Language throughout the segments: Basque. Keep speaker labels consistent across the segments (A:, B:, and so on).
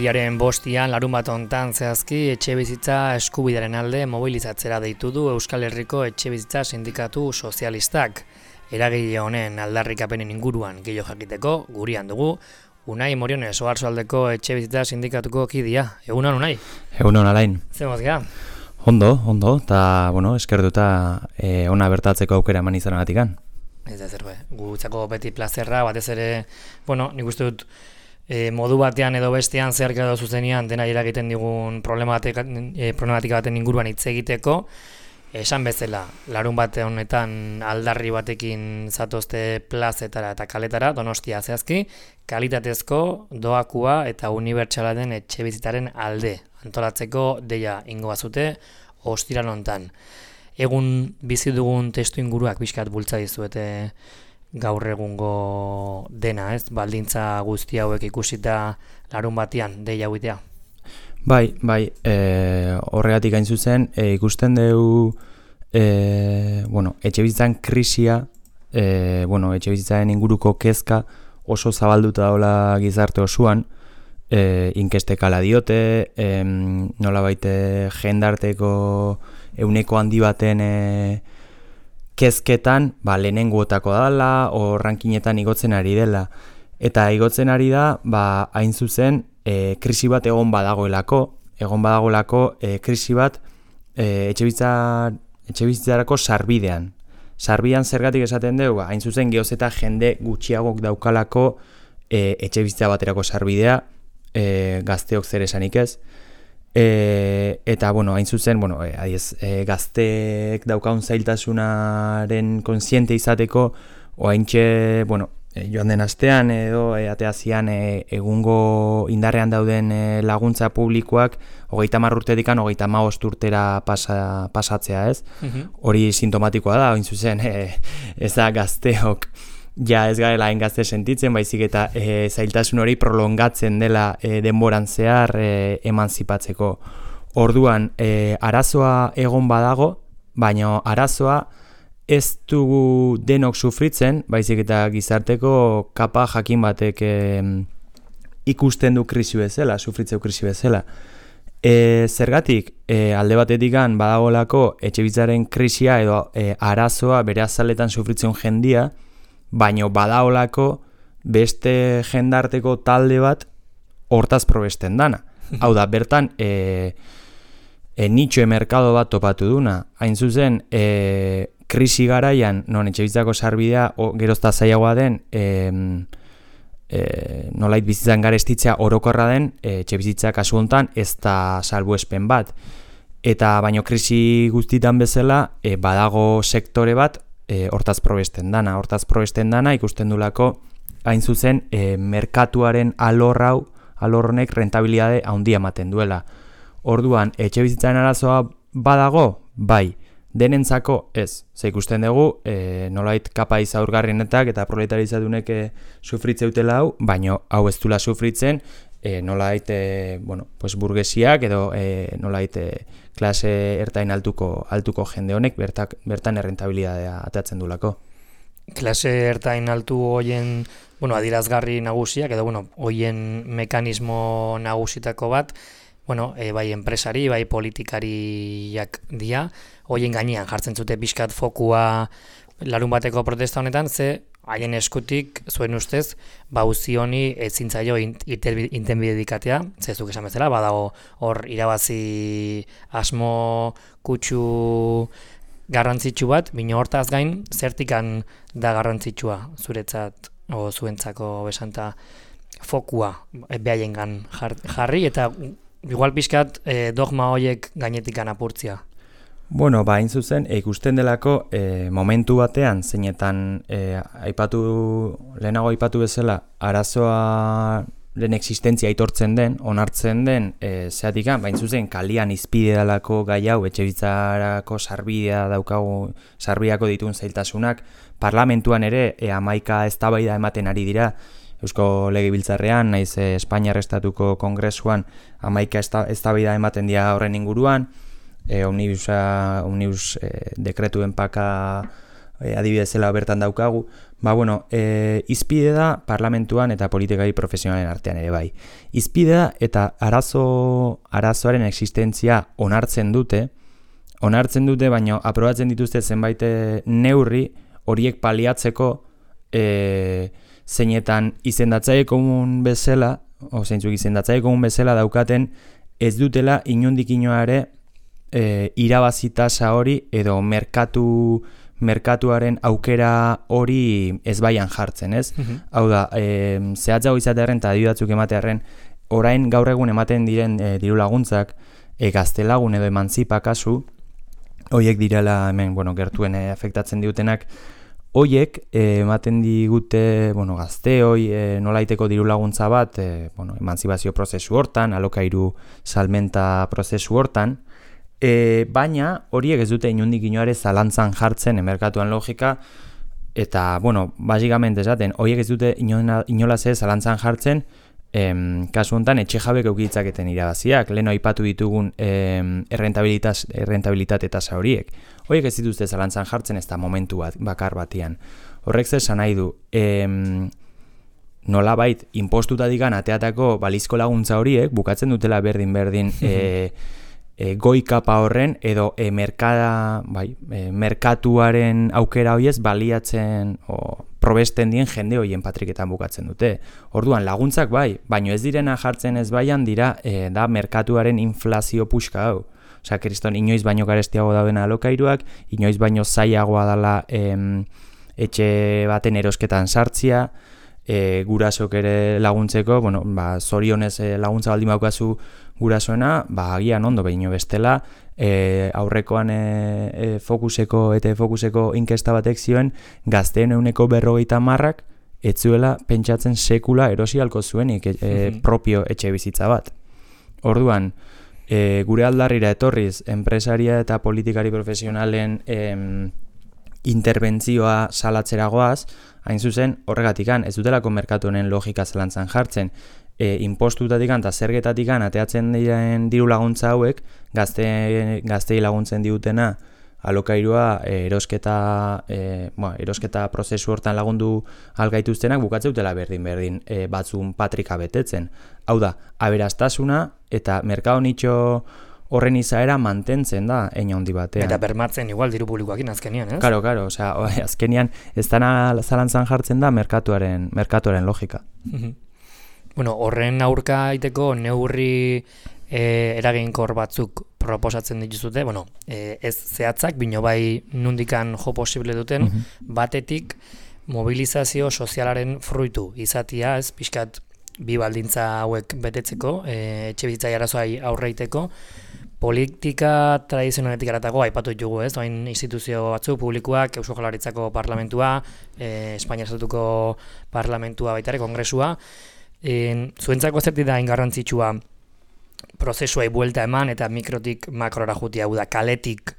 A: Apirilaren 5 larunbat hontan zehazki etxebizitza eskubidearen alde mobilizatzera deitu du Euskal Herriko Etxebizitza Sindikatu Sozialistak. Eragile honen aldarrikapenen inguruan gehiago jakiteko gurean dugu Unai Moriones, Oarsoaldeko Etxebizitza Sindikatuko kidea. Egunon, Unai?
B: Egunon, Alain.
A: Zer mozgea?
B: Ondo, eta, eskertuta ona bertatzeko aukera eman izanagatikan.
A: Ez da zer, gutzako beti plazerra, batez ere, nik uste dut, modu batean edo bestean zeharka edo zuzenean dena eragiten digun problematika baten inguruan hitz egiteko. Esan bezala, larun bate honetan aldarri batekin zatozte plazetara eta kaletara, Donostia zehazki, kalitatezko, doakua eta unibertsala den etxebizitzaren alde antolatzeko deia ingo bazute ostiral hontan. Egun bizi dugun testu inguruak pixkat bultza dizuete gaur egungo dena, ez? Baldintza guzti hauek ikusita larun batean deia huitea.
B: Bai, horregatik hain zuzen, ikusten dugu etxebizitzan krisia, etxebizitzaren inguruko kezka oso zabalduta daula gizarte osoan, inkestek ala diote, nolabait jendarteko euneko handi baten kezketan, lehenengoetako dela, o rankinetan igotzen ari dela. Eta igotzen ari da, hain zuzen, krisi bat egon badagoelako krisi bat etxebizitzarako sarbidean. Sarbidean zergatik esaten dugu, hain zuzen geoz eta jende gutxiagok daukalako etxebizitza baterako sarbidea, gazteok zer esanik ez. Eta, hain zuzen, gazteek daukaun zailtasunaren kontziente izateko, oaintxe, joan den astean edo ateazian egungo indarrean dauden laguntza publikoak 30 urtetik 35 urtera pasatzea, ez? Hori sintomatikoa da, hain zuzen, ez da gazteok ja ez garela hain gazte sentitzen, baizik eta zailtasun hori prolongatzen dela denboran zehar emantzipatzeko. Orduan, arazoa egon badago, baina arazoa ez dugu denok sufritzen, baizik eta gizarteko kapa jakin batek ikusten du krisi bezala, sufritzeu krisi bezala. Zergatik, alde batetik badagolako etxebizitzaren krisia edo arazoa bere azaletan sufritzen jendia, baina badagolako beste jendarteko talde bat hortaz probesten dana. Hau da, bertan, nitxoe merkado bat topatu duna. Hain zuzen, krisi garaian, non etxebizitzako sarbidea gerozta zailagoa den, nolait bizitzan garestitzea orokorra den, etxebizitza kasu hontan ez da salbuespen bat. Eta baino krisi guztitan bezala, badago sektore bat hortaz probesten dana. Hortaz probesten dana ikusten dulako, hain zuzen, merkatuaren alor honek rentabilitate handia ematen duela. Orduan, etxebizitzaren arazoa badago? Bai. Denentzako ez. Ze ikusten dugu, nolait kapa izaurgarrienetak eta proletarizadunek sufritzeutela hau, baino hau ez dula sufritzen, nolait burgesiak edo nolait klase ertain altuko jende honek bertan errentabilitatea atatzen dulako.
A: Klase ertain altu hoien adierazgarri nagusiak edo hoien mekanismo nagusitako bat, bai enpresari, bai politikariak dira, hoien gainean jartzen zute pixkat fokua larun bateko protesta honetan, ze haien eskutik, zuen ustez, uzi honi ezin zaio intenbidedikatea, ze zuk esan bezala, badago hor irabazi asmo kutsu garrantzitsu bat, bino hortaz gain, zertikan da garrantzitsua zuretzat, o zuentzako besanta fokua behaien jarri, eta igual pixkat dogma horiek gainetikan apurtzia.
B: Hain zuzen, ikusten delako momentu batean, zeinetan lehenago aipatu bezala, arazoa den existentzia aitortzen den, onartzen den, zeatikan, bain zuzen, kalian izpide dalako gai hau, etxebizitzarako sarbidea daukagu, sarbideako dituen zailtasunak, parlamentuan ere, 11 eztabaida ematen ari dira, Eusko Legebiltzarrean, naiz Espainiar Estatuko Kongresuan 11 eztabaida ematen dira horren inguruan, omnibus dekretuen paka adibidezela bertan daukagu, bueno, izpide da parlamentuan eta politikari profesionalen artean ere bai. Izpide da eta arazoaren existentzia onartzen dute, baina aprobatzen dituzte zenbait neurri horiek paliatzeko zeinetan izendatzaile komun bezala, zeintzuk izendatzaile komun bezala daukaten ez dutela inondik inoare irabazi tasa hori edo merkatuaren aukera hori ez baian jartzen, ez? Hau da, zehatzago izatearen eta adibidatzuk ematearen, orain gaur egun ematen diren diru laguntzak, gaztelagun edo emantzipa kasu, hoiek direla hemen, gertuen afektatzen diutenak, hoiek ematen digute, gazteoi nolaiteko diru laguntza bat, emantzipazio prozesu hortan, alokairu salmenta prozesu hortan, baina horiek ez dute inondik inoare zalantzan jartzen merkatuan logika, eta, basikamente esaten, horiek ez dute inolaz ez zalantzan jartzen, kasu honetan etxe jabek eukitzaketen irabaziak, lehen aipatu ditugun errentabilitate tasa horiek. Horiek ez dituzte zalantzan jartzen ez da momentu bakar batian. Horrek zesan nahi du, nolabait inpostutatikan ateatako balizko laguntza horiek, bukatzen dutela berdin goi kapa horren edo merkatuaren aukera horiez baliatzen probesten dien jende horien patriketan bukatzen dute. Orduan laguntzak bai, baino ez direna jartzen ez baian dira da merkatuaren inflazio puxka hau. Osea, kriston inoiz baino garestiago dauden alokairuak, inoiz baino zailagoa dela etxe baten erosketan sartzia, gurasok ere laguntzeko, zorionez laguntza baldin baukazu gurasoena, agian ondo behin bestela, aurrekoan fokuseko inkesta batek zioen, gazteen 40% etzuela pentsatzen sekula erosi halko zuenik propio etxe bizitza bat. Orduan, gure aldarrira etorriz, enpresaria eta politikari profesionalen interbentzioa salatzeragoaz, hain zuzen, horregatikan, ez dutelako merkatu honen logika zalantzan jartzen, inpostutatikan eta zergetatikan ateatzen diren diru laguntza hauek, gaztei laguntzen diutena, alokairua erosketa prozesu hortan lagundu algaituztenak bukatzeutela berdin batzun patrika betetzen. Hau da, aberastasuna eta merkado nitxo horren izaera mantentzen da hein handi batean.
A: Eta bermatzen igual diru publikoakin azkenian, ez?
B: Karo, osea, azkenian ez dana zalantzan jartzen da merkatuaren logika.
A: Horren aurka aiteko neurri eraginkor batzuk proposatzen dituzute, ez zehatzak, bino bai nundikan jo posible duten, batetik mobilizazio sozialaren fruitu izatia, ez, pixkat bi baldintza hauek betetzeko, etxe bizitzai arazoai aurreiteko, politika tradizionaletik aratago aipatu ditugu, ez, doain instituzio batzuk publikoak, Eusko Jaurlaritzako parlamentua, Espainia Estatuko parlamentua baitare, kongresua, zuentzako zerti da ingarrantzitsua prozesuai buelta eman eta mikrotik makrora jutia, hau da, kaletik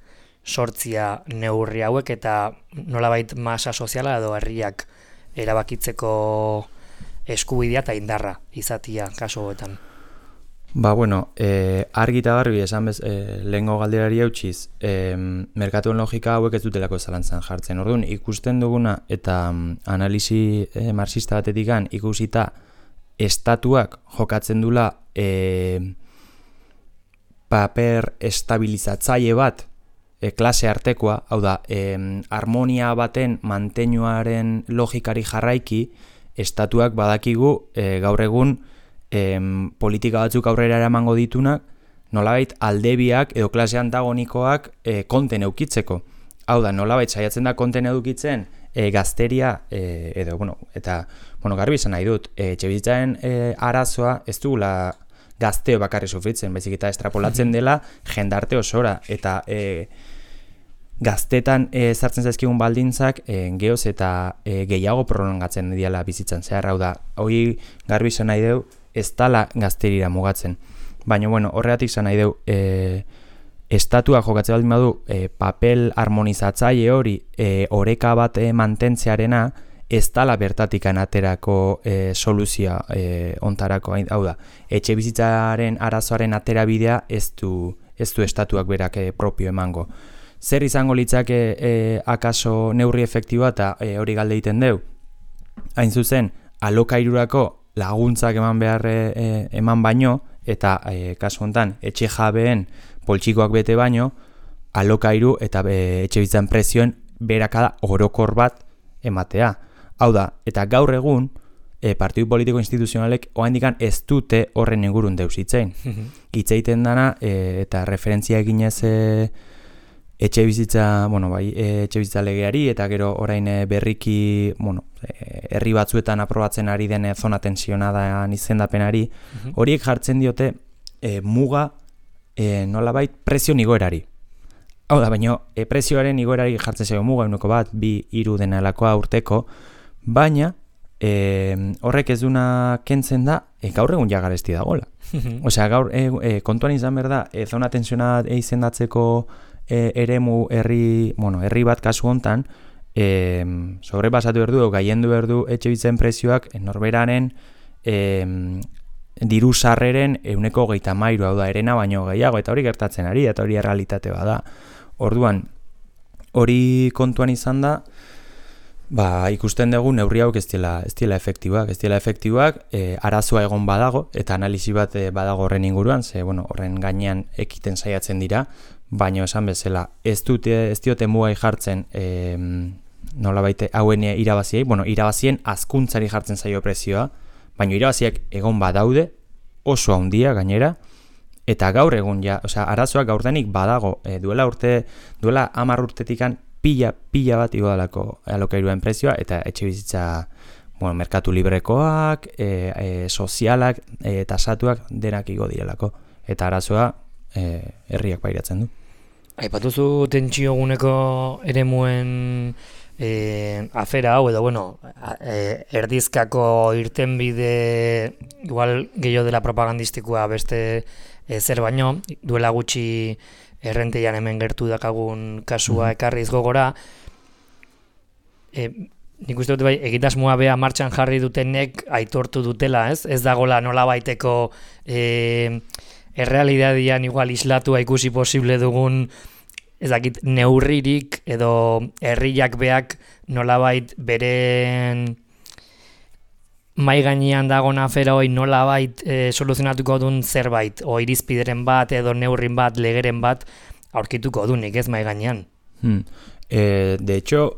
A: sortzia neurri hauek eta nolabait masa soziala edo herriak erabakitzeko eskubidea eta indarra izatia kasu hauetan.
B: Argi eta garbi esan lehengo galderari eutxiz, merkatuen logika hauek ez dutelako zalantzan jartzen. Orduan, ikusten duguna eta analisi marxista batetikan ikusita estatuak jokatzen dula paper estabilizatzaile bat klase artekoa, hau da, harmonia baten mantenuaren logikari jarraiki, estatuak badakigu gaur egun politika batzuk aurrera eramango ditunak, nolabait aldebiak edo klase antagonikoak konten eukitzeko. Hau da, nolabait saiatzen da konten edukitzen gazteria edo, eta garbi izan nahi dut, etxebizitzaren arazoa ez dugula gazteo bakarri sufritzen, baizik eta estrapolatzen dela jendarte osora, eta gaztetan sartzen zaizkigun baldintzak geoz eta gehiago prolongatzen diala bizitzan zehar, hau da, hori garbi izan nahi deu, ez dala gazterira mugatzen. Baina, horregatik izan nahi deu, estatua jokatzen baldin badu papel harmonizatzaile hori oreka bat mantentzearena ez dala bertatikan aterako soluzioa ontarako, hau da, etxe bizitzaren arazoaren atera bidea ez du estatuak berak propio emango. zer izango litzake akaso neurri efektiboa eta hori galde egiten deu. Hain zuzen, alokairurako laguntzak eman baino, eta kasu honetan etxe jabeen poltsikoak bete baino, alokairu eta etxebizitzan prezioen beherakada orokor bat ematea. Hau da, eta gaur egun, partidu politiko instituzionalek oraindik ez dute horren ingurun deus hitzein. Hitz egiten dana eta referentzia eginez etxebizitza legeari eta gero orain berriki, herri batzuetan aprobatzen ari den zona tensionadan izendapenari, horiek jartzen diote muga nolabait prezio igoerari. Hau da, baina prezioaren igoerari jartzen zaio muga 1 2 3 denalakoa urteko, baina horrek ez duna kentzen da, gaur egun ja garesti dagoela. Osea, gaur kontuan izan behar da, zona tensionada izendatzeko eremu herri bat kasu hontan, sobrepasatu berdu, gaiendu berdu etxebizitzen prezioak norberaren diru sarreren 130, hau da, erena baino gehiago, eta hori gertatzen ari, eta hori errealitate bada. Orduan, hori kontuan izan da, ikusten dugu neurri hauek ez diela efektiboak, arazoa egon badago, eta analisi bat badago horren inguruan, horren gainean ekiten saiatzen dira, baina esan bezala, ez diote mugai jartzen nolabait hauen irabaziei, irabazien hazkuntzari jartzen zaio prezioa, baina irabaziak egon badaude, oso handia gainera, eta gaur egun arazoak gaurdenik badago, duela 10 urtetikan pila bat igodalako alokairuen prezioa, eta etxe bizitza merkatu librekoak, sozialak, tasatuak denak igo direlako, eta arazoa herriak pairatzen du.
A: Aipatuzu tentsioguneko eremuen afera hau, edo erdizkako irtenbide igual gehiago dela propagandistikoa beste zer baino, duela gutxi errenteian hemen gertu dakagun kasua ekarriz gogora, nik uste dut egitasmoa bea martxan jarri dutenek aitortu dutela, ez dagola nola baiteko errealidadian igual islatua ikusi posible dugun neurririk edo herriak beak nolabait beren mai gainean dagoen afera hori nolabait soluzionatuko duen zerbait, o irizpideren bat edo neurrin bat, legeren bat aurkituko dunik ez mai gainean.
B: De hecho,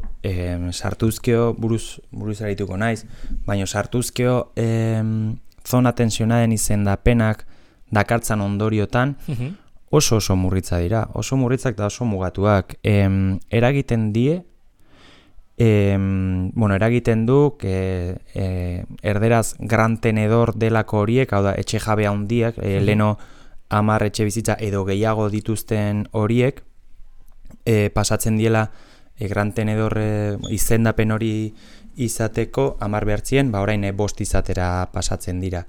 B: sartuzkeo buruz arituko naiz, baina sartuzkeo zona tensionaden izendapenak dakartzan ondoriotan oso murritza dira, oso murritzak da oso mugatuak. Eragiten die, eragiten du erderaz gran tenedor delako horiek, hau da, etxe jabe handiak, leno 10 etxe bizitza edo gehiago dituzten horiek, pasatzen diela gran tenedor izendapen hori izateko 10 behartzien, orain 5 izatera pasatzen dira.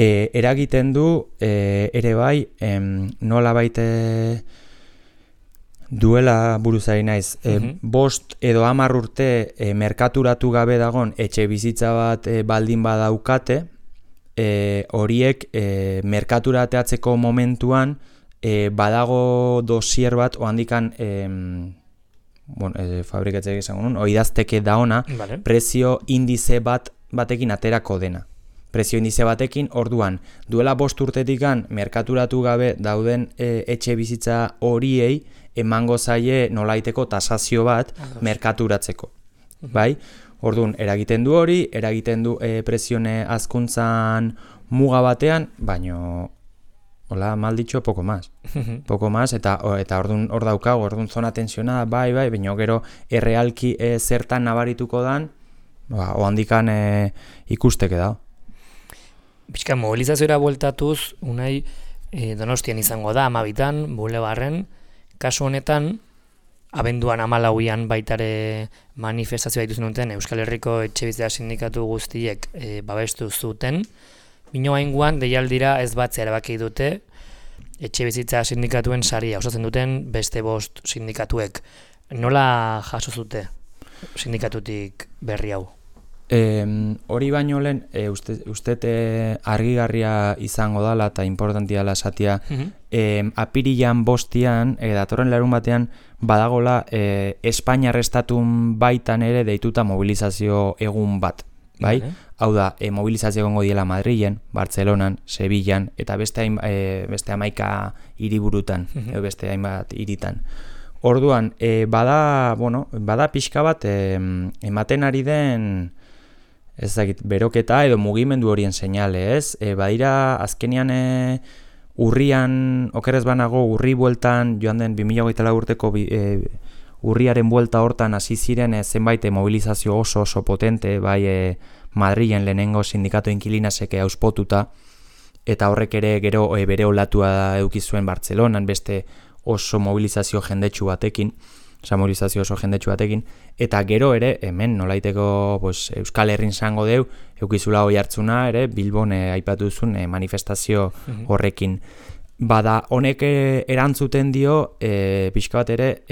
B: Eragiten du ere bai nola baite duela buruzari naiz 5 edo 10 urte merkaturatu gabe dagon etxe bizitza bat baldin badaukate, horiek merkaturateatzeko momentuan badago dosier bat ohandikan fabrikatzea izango nun, oidazteke da ona, prezio indize batekin aterako dena. Prezio indize batekin, orduan, duela 5 urtetikan merkaturatu gabe dauden etxe bizitza horiei emango zaie nolaiteko tasazio bat merkaturatzeko. Bai? Orduan, eragiten du hori, eragiten du prezione hazkuntzan muga batean, baino hola, mal dicho, poco más. Poco más, eta orduan hor daukago, orduan zona tensionada, bai, baina gero errealki zertan nabarituko dan, ohandikan ikusteke da.
A: Pixka mobilizazioa bueltatuz, unai Donostian izango da, 12an, Bulebarren, kasu honetan, abenduan 14an baitare manifestazioa dituzen duten Euskal Herriko etxebizitza sindikatu guztiek babestu zuten, bino hainguan deialdira ez batzea erabaki dute etxebizitza sindikatuen saria osatzen duten beste 5 sindikatuek. Nola jaso zute sindikatutik berri hau?
B: Hori baino lehen, uste argigarria izango dala eta importantia dela esatia, apirilan 5 datorren larun batean, badagola Espainiar estatun baitan ere deituta mobilizazio egun bat, bai? Hau da, mobilizazio egongo diela Madrilen, Bartzelonan, Sevillan, eta beste 11 hiriburutan, beste hainbat hiritan. Orduan, bada pixka bat ematen ari den beroketa edo mugimendu horien seinale, ez? Badira, azkenean urrian, okerrez banago, urri bueltan, joan den 2024 urteko urriaren buelta hortan hasi ziren zenbait mobilizazio oso potente, bai Madrilen lehenengo sindikato inkilinasek auspotuta, eta horrek ere gero bere olatua eduki zuen Bartzelonan, beste oso mobilizazio jendetsu batekin, eta gero ere, hemen nolaiteko Euskal Herrin zango deu, eukizula hoi hartzuna ere, Bilbon aipatu duzun manifestazio horrekin. Bada, honek erantzuten dio, pixka bat ere,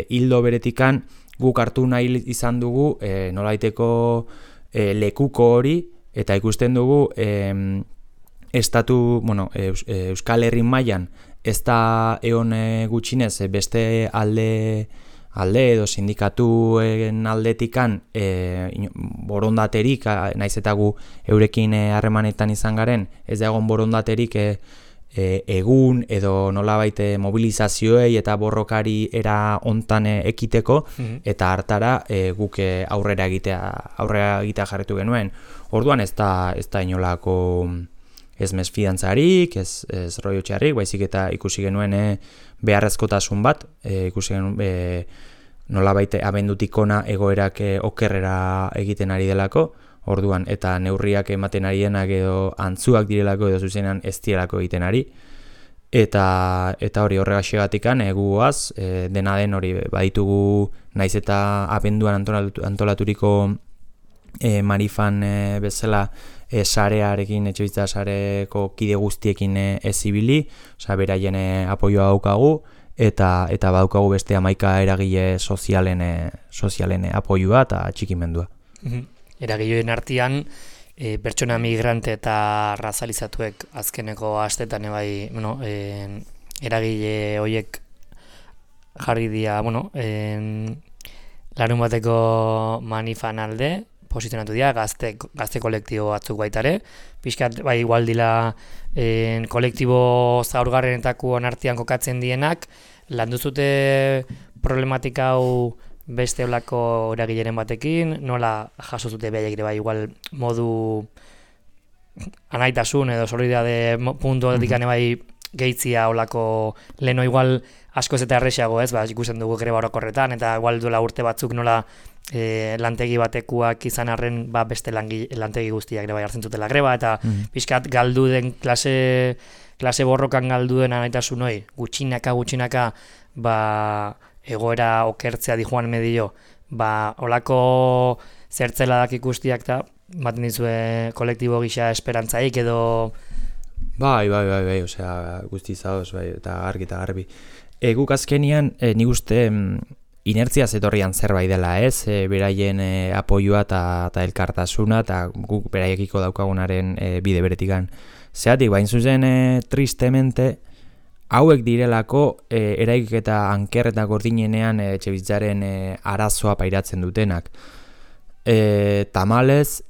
B: hildo beretikan guk hartu nahi izan dugu nolaiteko lekuko hori, eta ikusten dugu Euskal Herrin mailan ez da egon gutxinez beste alde edo sindikatuen aldetikan borondaterik, naiz eta gu eurekin harremanetan izan garen, ez da egon borondaterik egun edo nolabait mobilizazioei eta borrokari era hontan ekiteko, eta hartara guk aurrera egitea jarretu genuen. Orduan ez da inolako ez mesfidantzarik, ez rollo txarrik, baizik eta ikusi genuen beharrezkotasun bat, ikusi genuen nolabait abendutik ona egoerak okerrera egiten ari delako, orduan, eta neurriak ematen ari denak edo antzuak direlako edo zuzenean ez direlako egiten ari, eta hori horregaxegatikan guaz, dena den hori baditugu naiz eta abenduan antolaturiko Marifan bezala sarearekin, etxebizitza sareko kide guztiekin ez ibili, beraien apoioa daukagu, eta badaukagu beste 11 eragile sozialen apoioa eta txikimendua.
A: Eragileen artean, pertsona migrante eta razalizatuek azkeneko astetan eragile horiek jarri dira, larun bateko manifan alde, posizionatu dira, gazte kolektibo batzuk baitare, pixkat bai igual dila kolektibo zaurgarrenetako artean kokatzen dienak, landu zute problematika hau beste olako eragileren batekin, nola jaso zute behaiek ere bai igual modu anaitasun edo solidaritate puntu horretik bai gehitzia olako leno igual asko ez eta errexago, ez, ikusten dugu greba orokorretan, eta igual duela urte batzuk nola lantegi batekuak izan arren beste lantegi guztiak ere bai hartzen zutela greba, eta pixkat galdu den klase borrokan galdu den anaitasun hori, gutxinaka egoera okertzea di Juan Medillo, olako zertzeladak ikustiak eta baten dizue kolektibo gisa esperantzaik edo...
B: Bai, osea, guzti zaoz, bai, eta garbi. Guk azkenian, nik uste inertzia zetorrian zerbait dela, ez? Beraien apoioa eta elkartasuna, eta guk beraiekiko daukagunaren bide beretikan. Zeatik, bain zuzen, tristemente, hauek direlako eraiketa anker eta gordinenean etxebizitzaren arazoa pairatzen dutenak. Tamalez,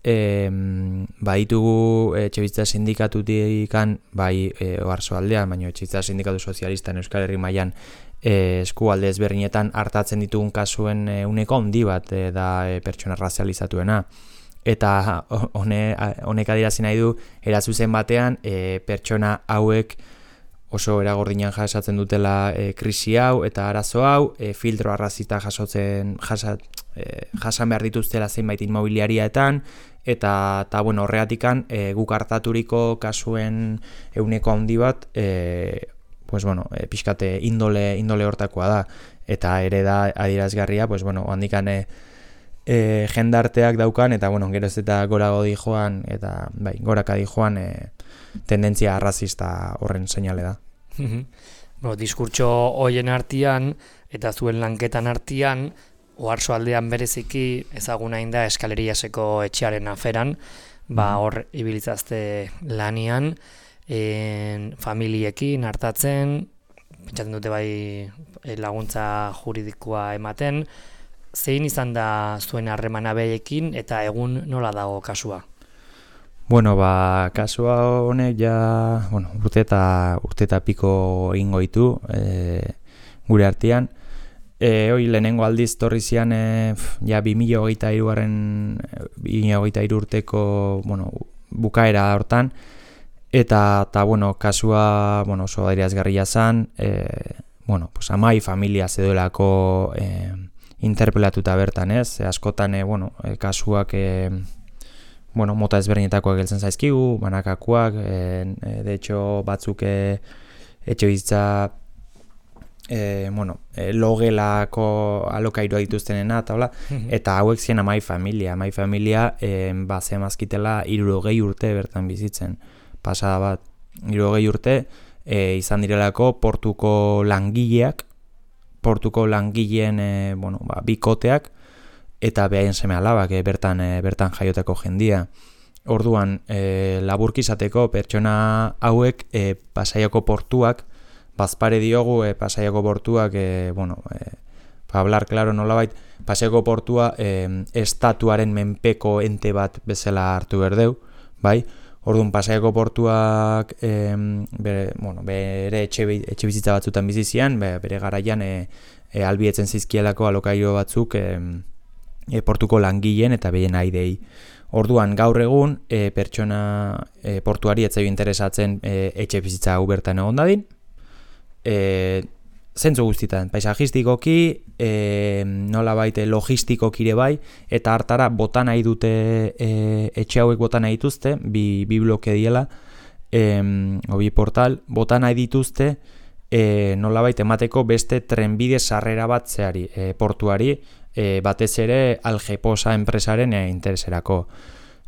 B: baditugu etxebizitza sindikatutikan, bai Oarsoaldean, baina etxebizitza sindikatu sozialistan Euskal Herri mailan eskualde ezberdinetan hartatzen ditugun kasuen uneko handi bat da pertsona razializatuena. Eta honek adierazi nahi du, erazuzen batean pertsona hauek oso eragordinan jasatzen dutela krisi hau eta arazo hau, filtro arrazista jasan behar dituztela zenbait inmobiliariaetan, eta horregatikan guk hartaturiko kasuen euneko handi bat, pixkate indole hortakoa da, eta ere da adierazgarria, handikan jendarteak daukan, eta gero ez eta gorago di joan, eta goraka di joan tendentzia arrazista horren seinale da.
A: Diskurtso hoien artean eta zuen lanketan artean Oarso aldean bereziki ezaguna da Eskaleriaseko etxearen aferan, hor ibilitzazte lanian, familiekin hartatzen, pentsatzen dute bai laguntza juridikoa ematen. Zein izan da zuen harremana behekin eta egun nola dago kasua?
B: Bueno, kasua honek ja, urte eta piko egingo ditu gure artean. Hoi lehenengo aldiz torri zian ja 2023 urteko bukaera hortan, eta kasua oso adierazgarria zen, amai familia zedoelako interpelatuta bertan, ez? Askotan kasuak mota ezberdinetakoak geltzen zaizkigu, banakakoak, de hecho batzuk etxe bizitza logelako alokairua dituztenena, eta hauek zien amai familia zemazkitela 60 urte bertan bizitzen, pasada bat 60 urte izan direlako portuko langileen bikoteak eta behaien seme alabak bertan jaiotako jendia. Orduan, laburki izateko pertsona hauek Pasaiako portuak, bazpare diogu Pasaiako portuak, hablar claro nolabait, Pasaiako portua estatuaren menpeko ente bat bezala hartu berdeu, bai? Orduan, Pasaiako portuak bere etxe bizitza batzutan bizizian, bere garaian albietzen zizkielako alokairo batzuk portuko langileen eta behien aidei. Orduan, gaur egun, pertsona portuari etzai interesatzen etxe bizitza hau bertan egon dadin. Zentzu guztietan, paisajistikoki, nolabait logistikoki ere bai, eta hartara bota nahi dute, etxe hauek bota nahi dituzte, bi bloke diela, bi portal, bota nahi dituzte, nolabait emateko beste trenbide sarrera bat zeari, portuari, batez ere Algeposa enpresaren intereserako.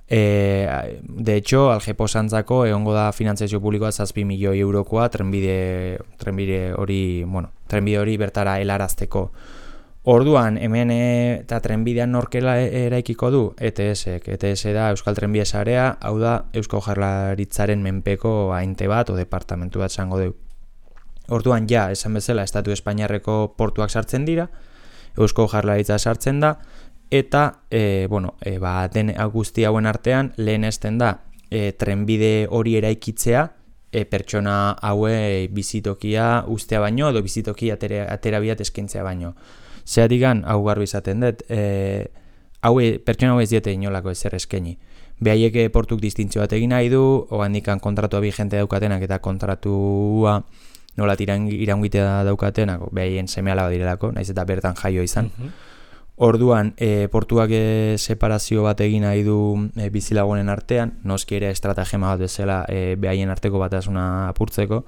B: De hecho, Algeposantzako egongo da finantzazio publikoa 7 milioi eurokoa trenbide hori bertara helarazteko. Orduan, hemen eta trenbidean norkela eraikiko du? ETS da Euskal Trenbide Sarea, hau da Eusko Jaurlaritzaren menpeko ainte bat o departamentu bat zango du. Orduan, ja, esan bezala, Estatu Espainiarreko portuak sartzen dira, Eusko Jaurlaritza sartzen da, eta den guzti hauen artean lehenesten da trenbide hori eraikitzea pertsona haue bizitokia ustea baino edo bizitoki atera biat eskaintzea baino. Zeratikan hau garbi izaten dut, pertsona hau ez diete inolako ezer eskaini. Behaiek portuk distintzio bat egin nahi du, ogandikan kontratua vigente daukatenak eta kontratua nolat iraungitea daukatenak, behaien seme alaba direlako, naiz eta bertan jaio izan. Orduan, portuak separazio bat egin nahi du bizilagunen artean, noski ere estratagema bat bezala behaien arteko batasuna apurtzeko,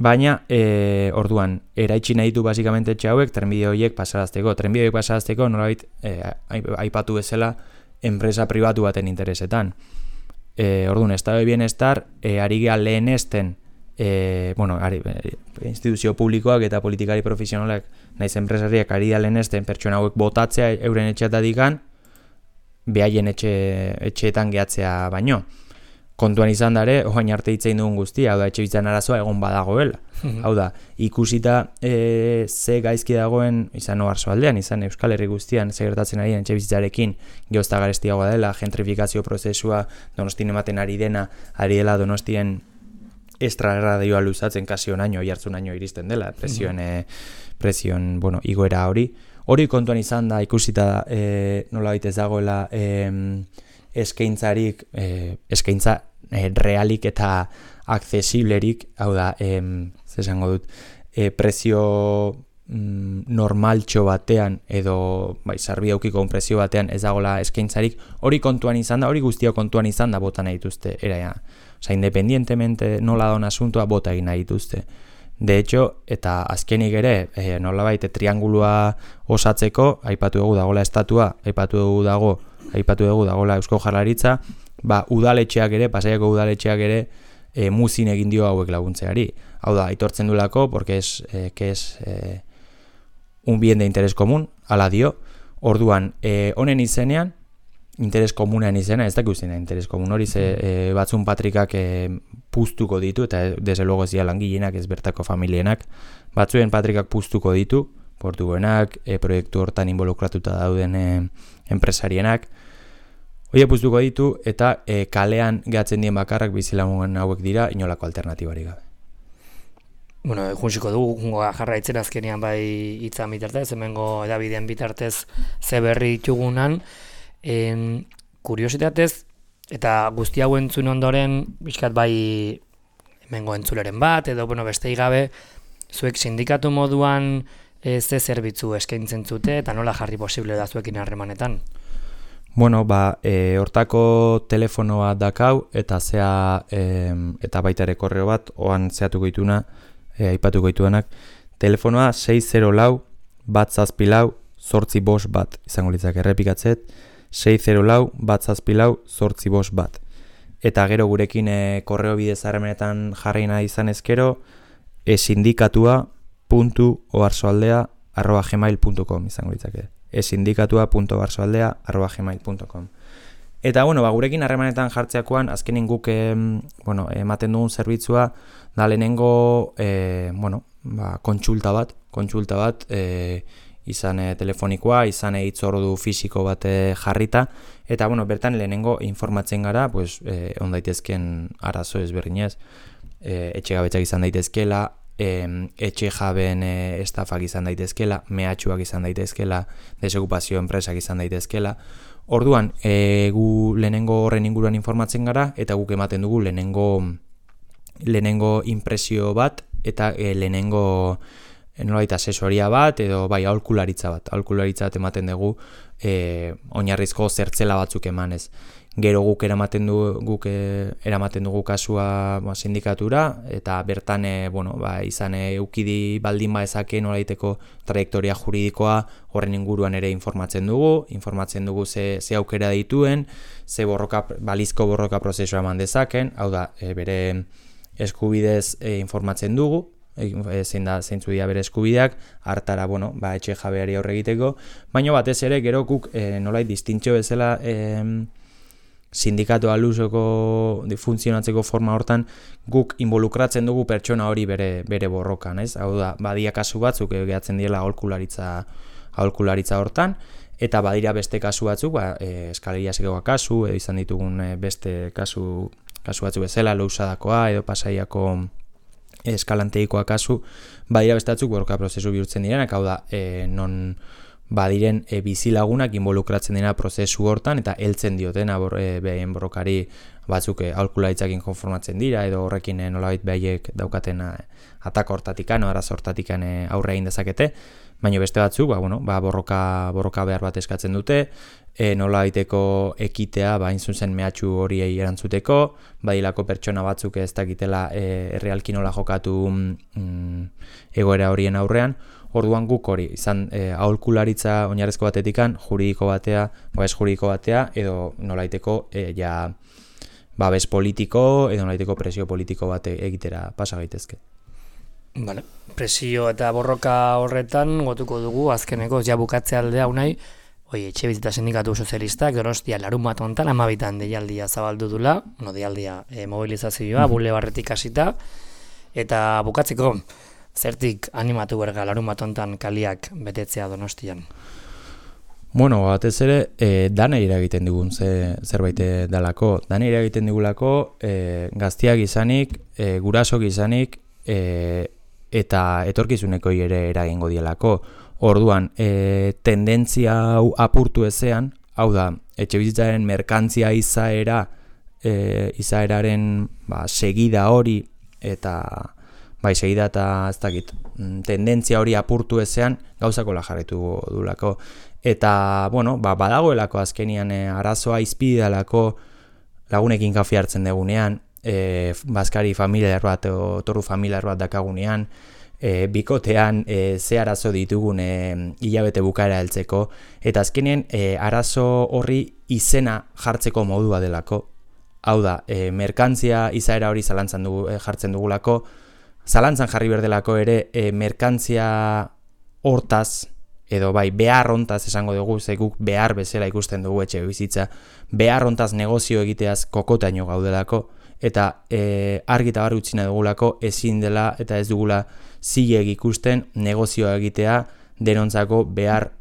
B: baina, orduan, eraitsi nahi du basikamente etxe hauek trenbide horiek pasarazteko. Trenbide horiek pasarazteko, nolabait, aipatu bezala, enpresa pribatu baten interesetan. Orduan, estado de bienestar, ari geha lehenesten, instituzio publikoak eta politikari profesionalak naiz enpresariak ari da lehenesten pertsona hauek botatzea euren etxeatatikan behaien etxeetan gehatzea baino. Kontuan izan dare, oain arte hitzein dugun guztia, hau da, etxe bizitzan arazoa egon badagoela. Hau da, ikusita ze gaizki dagoen, izan Oarso aldean, izan Euskal Herri guztian, ze gertatzen ari etxe bizitzarekin, geozta garestiagoa dela, gentrifikazio prozesua Donostien ematen ari dela Donostien estraradioa luzatzen kasi onaino, jartzunaino iristen dela, presioen, igoera hori. Hori kontuan izan da, ikusita nola baitez dagoela eskaintzarik, eskaintza realik eta aksesiblerik, hau da, zesango dut, prezio normaltxo batean, edo sarbi aukiko prezio batean ez dagoela eskaintzarik, hori kontuan izan da, hori guztio kontuan izan da bota nahi dituzte, Osa, independientemente nola daun asuntua bota egin nahi dituzte. De hecho, eta azkenik ere, nolabait triangulua osatzeko, aipatu dugu dagoela estatua, aipatu dugu dagoela Eusko Jaurlaritza, udaletxeak ere, Pasaiako udaletxeak ere, muzin egin dio hauek laguntzeari. Hau da, aitortzen duelako, porque un bien de interes komun, ala dio, orduan, honen izenean, interes komunean izena, ez dakik uzena interes komun hori, batzun patrikak puztuko ditu, eta desde luego ez dira langilenak, ez bertako familienak, batzuen patrikak puztuko ditu, portuguenak, proiektu hortan involukratuta dauden enpresarienak, hori puztuko ditu, eta kalean gehatzen dien bakarrak bizilagun hauek dira, inolako alternatibari gabe.
A: Bueno, juntziko dugu, jungo jarraitzen azkenean bai hitzan bitartez, hemengo edabideen bitartez ze berri ditugunan, kuriositatez, eta guzti hau entzun ondoren, bizkat bai hemengo entzuleren bat, edo bestei gabe, zuek sindikatu moduan ze zerbitzu eskaintzen zute, eta nola jarri posible da zuekin harremanetan?
B: Bueno, hortako telefonoa dakau, eta eta baita ere korreo bat, oan zehatuko dituna, aipatuko dituenak, telefonoa 604-174-851 izango litzak errepikatzet, 604-174-851. Eta gero gurekin korreo bidez harremanetan jarri nahi izan ezkero, esindikatua.oarsoaldea@gmail.com izango litzake. esindikatua.oarsoaldea@gmail.com. Eta gurekin harremanetan jartzeakoan azkenin guk ematen dugun zerbitzua da lehenengo kontsulta bat izan telefonikoa, izan hitzordu fisiko bat jarrita, eta bertan lehenengo informatzen gara, on daitezken arazo ezberdinez, etxegabetzak izan daitezkela, etxe jabeen estafak izan daitezkela, mehatxuak izan daitezkela, desokupazio enpresak izan daitezkela. Orduan, gu lehenengo horren inguruan informatzen gara, eta guk ematen dugu lehenengo impresio bat, eta lehenengo nolabait asesoria bat, edo bai aholkularitza bat ematen dugu, oinarrizko zertzela batzuk emanez. Gero guk eramaten dugu kasua sindikatura, eta bertan izan eukidi baldin ezake nolaiteko trajektoria juridikoa horren inguruan ere informatzen dugu ze aukera dituen, ze balizko borroka prozesua eman dezaken, hau da, bere eskubidez informatzen dugu, zeintzu dira bere eskubideak, hartara, etxe jabeari aurre egiteko, baina batez ere gero guk nolait distintzio bezala sindikatu alusoko funtzionatzeko forma hortan guk involukratzen dugu pertsona hori bere borrokan, ez? Hau da, badia kasu batzuk gehatzen diela aholkularitza hortan, eta badira beste kasu batzuk, eskaleriasekoa kasu, edo izan ditugun beste kasu batzuk bezala, Lousadakoa edo Pasaiako eskalanteikoa kasu, badira beste batzuk borroka prozesu bihurtzen direnak, hau da, non badiren bizilagunak involukratzen dena prozesu hortan, eta heltzen diotena behaien borrokari batzuk aholkularitzakin konformatzen dira, edo horrekin nolabait behaiek daukaten atako hortatikan, arazo hortatikan aurre egin dezakete, baina beste batzuk, borroka behar bat eskatzen dute, nolabaiteko ekitea, hain zuzen mehatxu horiei erantzuteko, badilako pertsona batzuk ez dakitela errealki nola jokatu egoera horien aurrean. Orduan guk hori, izan aholkularitza oinarrezko batetikan, juridiko batea, edo nolaiteko babes politiko, edo nolaiteko presio politiko bat egitera pasa gaitezke.
A: Vale. Presio eta borroka horretan gotuko dugu azkeneko bukatze aldea unai, etxebizitza sindikatu sozialistak Donostia larunbat hontan 12 deialdia zabaldu dula, deialdia mobilizazioa, bulebarretik hasita, eta bukatzeko, zertik animatu berga larunbat hontan kaliak betetzea Donostian?
B: Batez ere, danei eragiten digun zerbait dalako. Danei eragiten digulako gaztiak izanik, gurasok izanik, eta etorkizuneko ere eragingo dielako. Orduan, tendentzia hau apurtu ezean, hau da, etxebizitzaren merkantzia izaeraren segida hori, eta segida eta ez dakit, tendentzia hori apurtu ezean, gauzako jarraitu dulako. Eta, badagoelako azkenian arazoa izpidalako lagunekin kafe hartzen degunean, bazkari familiar bat, torru familiar bat dakagunean, bikotean ze arazo ditugun hilabete bukaera heltzeko, eta azkenien arazo horri izena jartzeko modua delako. Hau da, merkantzia izaera hori jartzen dugulako, zalantzan jarri berdelako ere merkantzia hortaz, edo bai, behar hontaz esango dugu, ze guk behar bezala ikusten dugu etxe bizitza, behar hontaz negozio egiteaz kokotaino gaudelako, eta argi eta bar utzi nahi dugulako ezin dela eta ez dugula zilegi ikusten negozioa egitea denontzako behar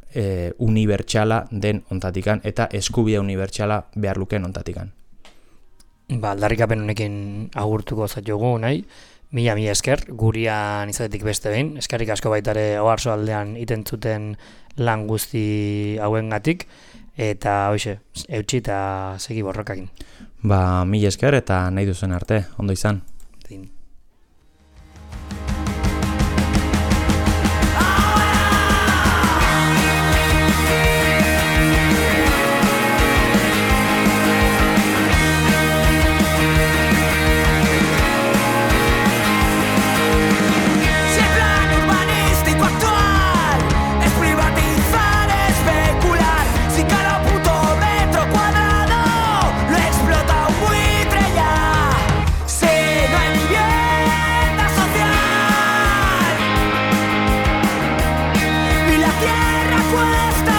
B: unibertsala den ontatikan eta eskubide unibertsala behar luken ontatikan.
A: Aldarrikapen honekin agurtuko zaitugu nahi, mila esker, gurian izatetik beste behin, eskerrik asko baitare Oarso aldean iten zuten lan guzti hauengatik, eta hoxe, eutxi eta segi borrokakin.
B: Mila esker eta nahi duzen arte, ondo izan.
C: Cuesta